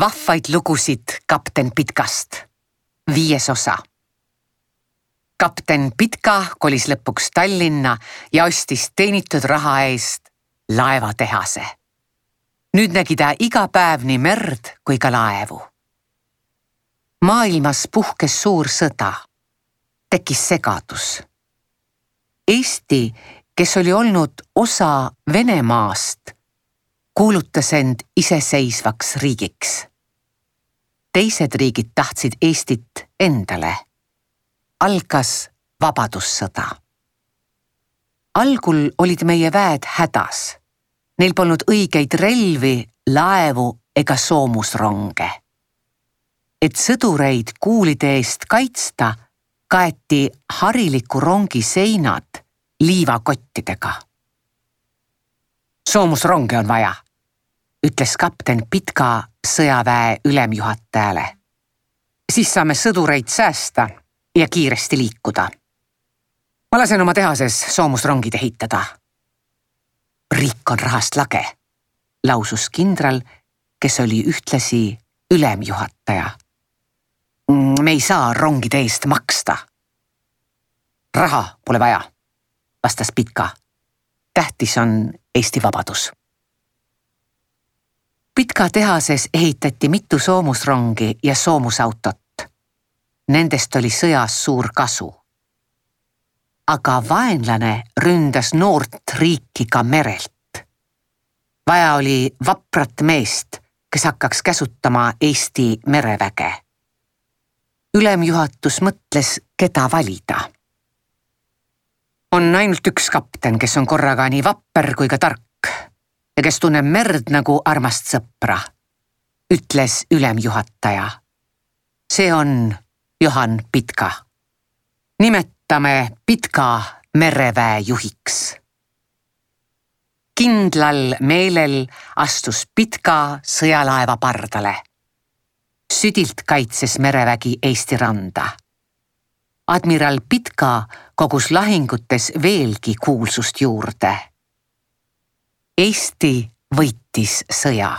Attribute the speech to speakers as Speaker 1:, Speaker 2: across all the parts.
Speaker 1: Vahvaid lugusid kapten Pitkast. 5. osa. Kapten Pitka kolis lõpuks Tallinna ja ostis teenitud raha eest laevatehase. Nüüd nägi ta iga päev nii merd kui ka laevu. Maailmas puhkes suur sõda. Tekkis segadus. Eesti, kes oli olnud osa Venemaast, kuulutas end iseseisvaks riigiks. Teised riigid tahtsid Eestit endale. Algas vabadussõda. Algul olid meie väed hädas. Neil polnud õigeid relvi, laevu ega soomusronge. Et sõdureid kuulide eest kaitsta, kaeti hariliku rongi seinad liivakottidega. Soomusronge on vaja, ütles kapten Pitka sõjaväe ülemjuhatajale. Siis saame sõdureid säästa ja kiiresti liikuda. Ma lasen oma tehases soomusrongid ehitada. Riik on rahast lage, lausus kindral, kes oli ühtlasi ülemjuhataja. Me ei saa rongide eest maksta. Raha pole vaja, vastas Pitka. Tähtis on Eesti vabadus. Pitka tehases ehitati mitu soomusrongi ja soomusautot. Nendest oli sõjas suur kasu. Aga vaenlane ründas noort riiki ka merelt. Vaja oli vaprat meest, kes hakkaks käsutama Eesti mereväge. Ülemjuhatus mõtles, keda valida. On ainult üks kapten, kes on korraga nii vapper kui ka tark ja kes tunneb merd nagu armast sõpra, ütles ülemjuhataja. See on Johan Pitka. Nimetame Pitka mereväe juhiks. Kindlal meelel astus Pitka sõjalaeva pardale. Südilt kaitses merevägi Eesti randa. Admiral Pitka kogus lahingutes veelgi kuulsust juurde. Eesti võitis sõja.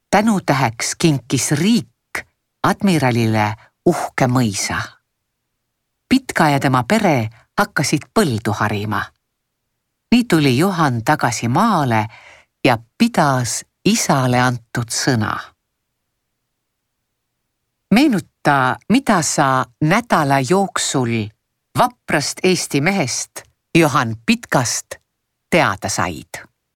Speaker 1: Tänutäheks kinkis riik admiralile uhke mõisa. Pitka ja tema pere hakkasid põldu harima. Nii tuli Johan tagasi maale ja pidas isale antud sõna. Meenuta, mida sa nädala jooksul vaprast Eesti mehest Johan Pitkast teada said.